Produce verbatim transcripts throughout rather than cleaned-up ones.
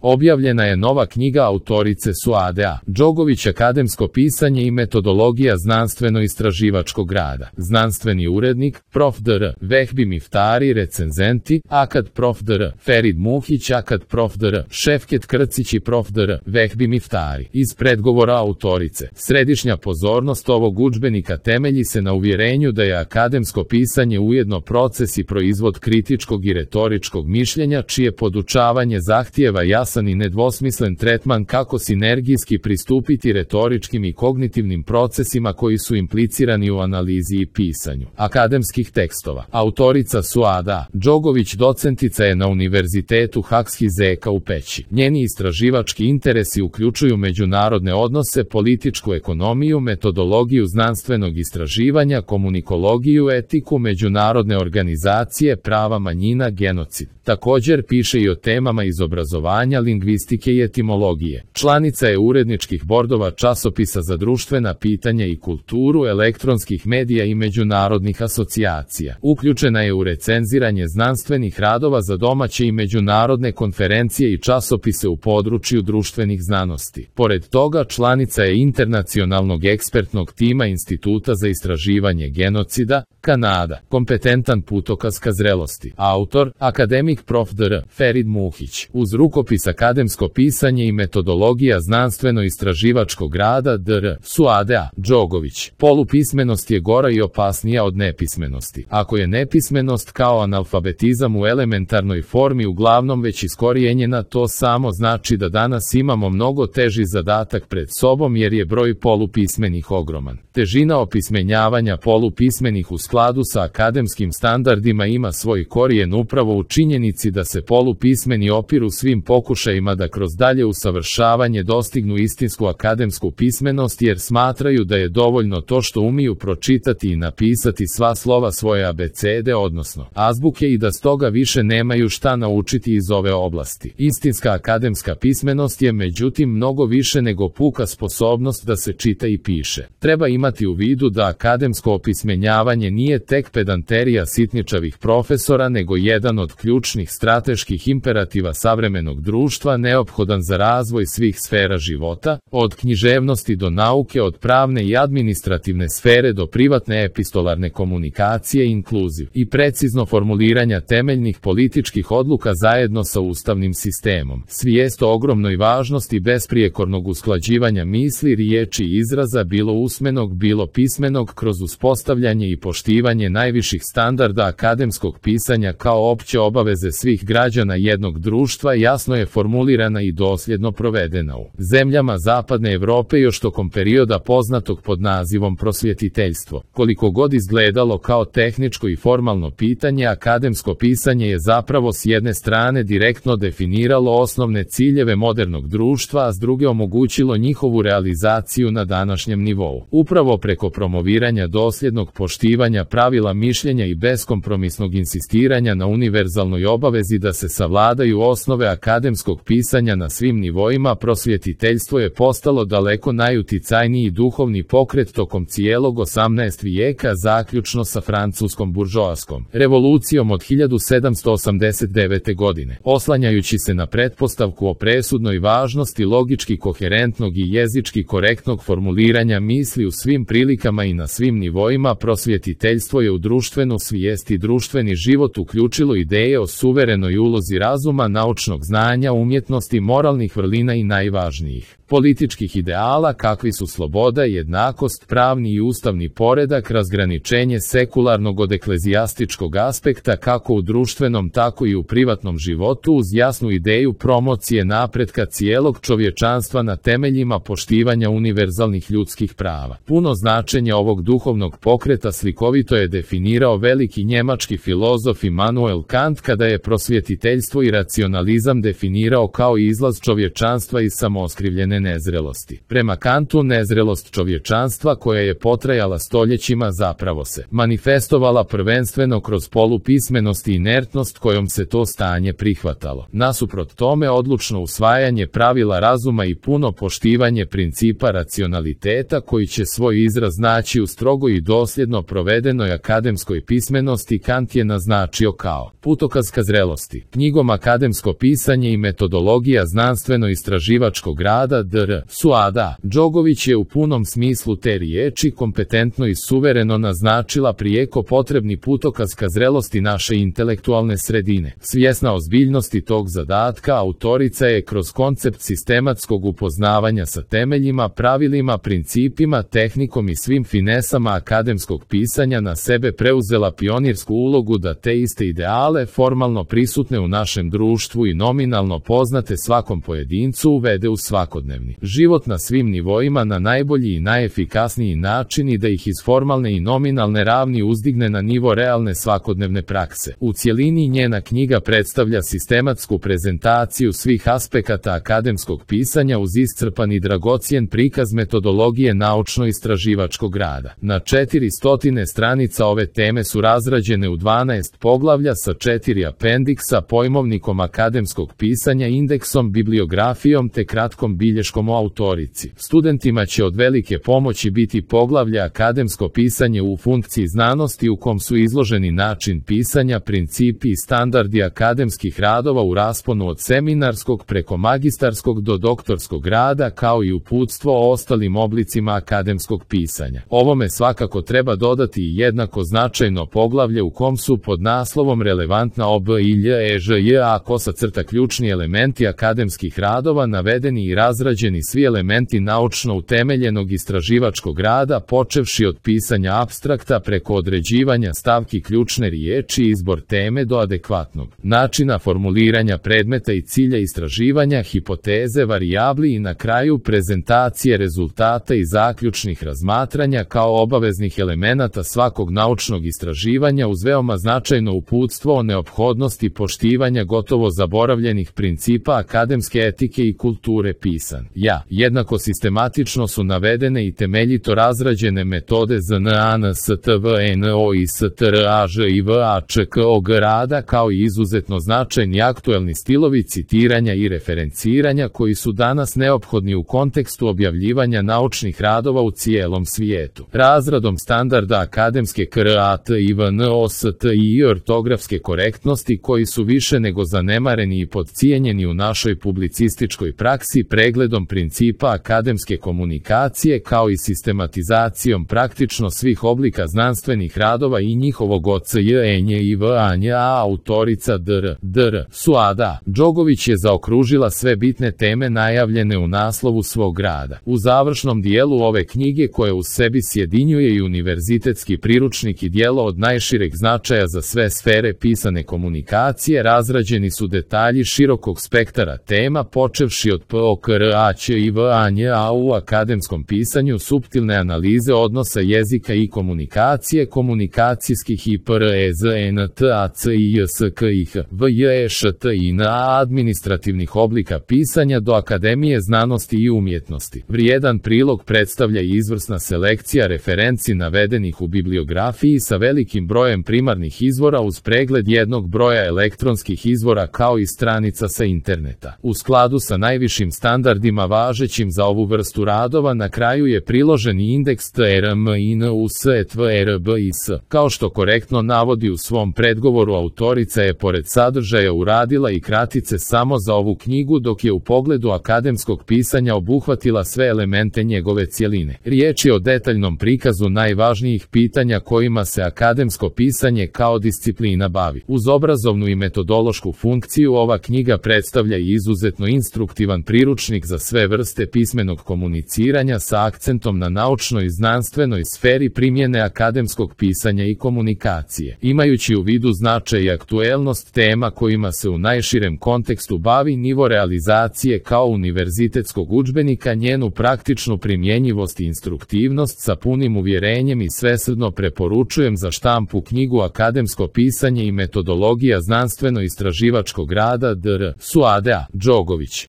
Objavljena je nova knjiga autorice Suade Đogović Akademsko pisanje i metodologija znanstveno-istraživačkog rada. Znanstveni urednik, prof. dr. Vehbi Miftari, recenzenti, Akad prof. dr. Ferid Muhić, Akad prof. dr. Šefket Krcić i prof. dr. Vehbi Miftari. Iz predgovora autorice. Središnja pozornost ovog udžbenika temelji se na uvjerenju da je akademsko pisanje ujedno proces i proizvod kritičkog i retoričkog mišljenja, čije podučavanje zahtijeva jasan i nedvosmislen tretman kako sinergijski pristupiti retoričkim i kognitivnim procesima koji su implicirani u analizi i pisanju akademskih tekstova. Autorica Suada Đogović docentica je na Univerzitetu Haks-Hizeka u Peći. Njeni istraživački interesi uključuju međunarodne odnose, političku ekonomiju, metodologiju znanstvenog istraživanja, komunikologiju, etiku, međunarodne organizacije, prava manjina, genocid. Također piše i o temama iz obrazovanja, lingvistike i etimologije. Članica je uredničkih bordova časopisa za društvena pitanja i kulturu, elektronskih medija i međunarodnih asocijacija. Uključena je u recenziranje znanstvenih radova za domaće i međunarodne konferencije i časopise u području društvenih znanosti. Pored toga, članica je internacionalnog ekspertnog tima Instituta za istraživanje genocida, Kanada, kompetentan putokaz ka zrelosti. Autor, akademik prof. dr. Ferid Muhić. Uz rukopis Akademsko pisanje i metodologija znanstveno-istraživačkog rada dr. Suade Đogović. Polupismenost je gora i opasnija od nepismenosti. Ako je nepismenost kao analfabetizam u elementarnoj formi uglavnom već iskorijenjena, to samo znači da danas imamo mnogo teži zadatak pred sobom jer je broj polupismenih ogroman. Težina opismenjavanja polupismenih u skladu sa akademskim standardima ima svoj korijen upravo u činjenici da se polupismeni opiru svim pokušajima da kroz dalje usavršavanje dostignu istinsku akademsku pismenost jer smatraju da je dovoljno to što umiju pročitati i napisati sva slova svoje abecede, odnosno azbuke, i da stoga više nemaju šta naučiti iz ove oblasti. Istinska akademska pismenost je međutim mnogo više nego puka sposobnost da se čita i piše. Treba imati u vidu da akademsko opismenjavanje nije tek pedanterija sitničavih profesora, nego jedan od ključnih strateških imperativa savremenog društva neophodan za razvoj svih sfera života, od književnosti do nauke, od pravne i administrativne sfere do privatne epistolarne komunikacije, inkluziv i precizno formuliranja temeljnih političkih odluka zajedno sa ustavnim sistemom. Svijest o ogromnoj važnosti besprijekornog usklađivanja misli, riječi i izraza, bilo usmenog, bilo pismenog, kroz uspostavljanje i poštivanje najviših standarda akademskog pisanja kao opće obaveze svih građana jednog društva, jasno je formulirana i dosljedno provedena u zemljama Zapadne Evrope još tokom perioda poznatog pod nazivom prosvjetiteljstvo. Koliko god izgledalo kao tehničko i formalno pitanje, akademsko pisanje je zapravo s jedne strane direktno definiralo osnovne ciljeve modernog društva, a s druge omogućilo njihovu realizaciju na današnjem nivou. Upravo preko promoviranja dosljednog poštivanja pravila mišljenja i beskompromisnog insistiranja na univerzalnoj obavezi da se savladaju osnove akademskog pisanja na svim nivoima, prosvjetiteljstvo je postalo daleko najuticajniji duhovni pokret tokom cijelog osamnaestog vijeka, zaključno sa francuskom buržoaskom revolucijom od hiljadu sedamsto osamdeset devete. godine. Oslanjajući se na pretpostavku o presudnoj važnosti logički koherentnog i jezički korektnog formuliranja misli u svim prilikama i na svim nivoima, prosvjetiteljstvo je u društvenu svijest i društveni život uključilo ideje o suverenoj ulozi razuma, naučnog znanja, umjetnosti, moralnih vrlina i najvažnijih političkih ideala kakvi su sloboda, jednakost, pravni i ustavni poredak, razgraničenje sekularnog od eklezijastičkog aspekta kako u društvenom tako i u privatnom životu, uz jasnu ideju promocije napretka cijelog čovječanstva na temeljima poštivanja univerzalnih ljudskih prava. Puno značenje ovog duhovnog pokreta slikovito je definirao veliki njemački filozof Immanuel Kant kada je prosvjetiteljstvo i racionalizam definirao kao izlaz čovječanstva iz samooskrivljene nezrelosti. Prema Kantu, nezrelost čovječanstva koja je potrajala stoljećima zapravo se manifestovala prvenstveno kroz polupismenost i inertnost kojom se to stanje prihvatalo. Nasuprot tome, odlučno usvajanje pravila razuma i puno poštivanje principa racionaliteta koji će svoj izraz naći u strogo i dosljedno provedenoj akademskoj pismenosti Kant je naznačio kao putokaz ka zrelosti. Knjigom Akademsko pisanje i metodologija znanstveno-istraživačkog rada D R SUADA. Đogović je u punom smislu te riječi kompetentno i suvereno naznačila prijeko potrebni putokaz ka zrelosti naše intelektualne sredine. Svjesna ozbiljnosti tog zadatka, autorica je kroz koncept sistematskog upoznavanja sa temeljima, pravilima, principima, tehnikom i svim finesama akademskog pisanja na sebe preuzela pionirsku ulogu da te iste ideale, formalno prisutne u našem društvu i nominalno poznate svakom pojedincu, uvede u svakodnevni život na svim nivoima na najbolji i najefikasniji način i da ih iz formalne i nominalne ravni uzdigne na nivo realne svakodnevne prakse. U cjelini njena knjiga predstavlja sistematsku prezentaciju svih aspekata akademskog pisanja uz iscrpan i dragocjen prikaz metodologije naučno-istraživačkog rada. Na četiri stotine stranica ove teme su razrađene u dvanaest poglavlja sa četiri apendiksa, pojmovnikom akademskog pisanja, indeksom, bibliografijom te kratkom bilješkom o autorici. Studentima će od velike pomoći biti poglavlje akademsko pisanje u funkciji znanosti u kom su izloženi način pisanja, principi i standardi akademskih radova u rasponu od seminarskog preko magistarskog do doktorskog rada, kao i uputstvo o ostalim oblicima akademskog pisanja. Ovome svakako treba dodati i jednako značajno poglavlje u kom su pod naslovom relevantna O B I L E Ž J A kosa crta ključni elementi akademskih radova navedeni i razrađeni svi elementi naučno utemeljenog istraživačkog rada, počevši od pisanja apstrakta preko određivanja stavki ključne riječi i izbor teme do adekvatnog načina formuliranja predmeta i cilja istraživanja, hipoteze, varijabli i na kraju prezentacije rezultata i zaključnih razmatranja kao obaveznih elemenata svakog naučnog istraživanja uz veoma značajno uputstvo o neophodnosti poštivanja gotovo zaboravljenih principa akademske etike i kulture pisan. Ja, jednako sistematično su navedene i temeljito razrađene metode Z N A N S T V N O I S T R A Ž I V A Č K O G rada, kao i izuzetno značajni aktuelni stilovi citiranja i referenciranja koji su danas neophodni u kontekstu objavljivanja naučnih radova u cijelom svijetu. Razradom standarda akademske K R A T I V N O S T I ortografske korektnosti koji su više nego zanemareni i podcijenjeni u našoj publicističkoj praksi, pregledom principa akademske komunikacije kao i sistematizacijom praktično svih oblika znanstvenih radova i njihovog O C J E N J I V A N J A, autorica D R D R SUADA. Đogović je zaokružila sve bitne teme najavljene u naslovu svog rada. U završnom dijelu ove knjige, koje u sebi sjedinjuje i univerzitetski priručnik i djelo od najšireg značaja za sve sfere pisane komunikacije, razrađeni su detalji širokog spektara tema, počevši od P O K R A Ć I V A N J A u akademskom pisanju, suptilne analize odnosa jezika i komunikacije, komunikacijskih i P R E Z N T A C I J S K I H V J E Š T I N A administrativnih oblika pisanja do Akademije znanosti i umjetnosti. Vrijedan prilog predstavlja i izvrsna selekcija referenci navedenih u bibliografiji sa velikim brojem primarnih izvora uz pregled jednog broja elektronskih izvora kao i stranica sa interneta. U skladu sa najvišim standardima važećim za ovu vrstu radova, na kraju je priloženi indeks T R M I N U S E T V R B I S. Kao što korektno navodi u svom predgovoru, autorica je pored sadržaja uradila i kratice samo za ovu knjigu, dok je u pogledu akademskog pisanja obuhvatila sve elemente njegove cjeline. Riječ je o detaljnom prikazu najvažnijih pitanja kojima se akademsko pisanje kao disciplina bavi. Uz obrazovnu i metodološku funkciju, ova knjiga predstavlja i izuzetno instruktivan priručnik za sve vrste pismenog komuniciranja sa akcentom na naučnoj i znanstvenoj sferi primjene akademskog pisanja i komunikacije. Imajući u vidu značaj i aktuelnost tema kojima se u najširem kontekstu bavi, nivo realizacije kao univerzitetskog udžbenika, njenu praktičnu primjenjivost i instruktivnost, sa punim uvjerenjem i svesrdno preporučujem za štampu knjigu Akademsko pisanje i metodologija znanstveno-istraživačkog rada D R SUADA. Đogović.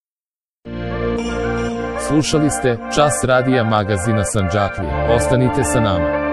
Slušali ste Čas radija magazina Sandžaklija. Ostanite sa nama.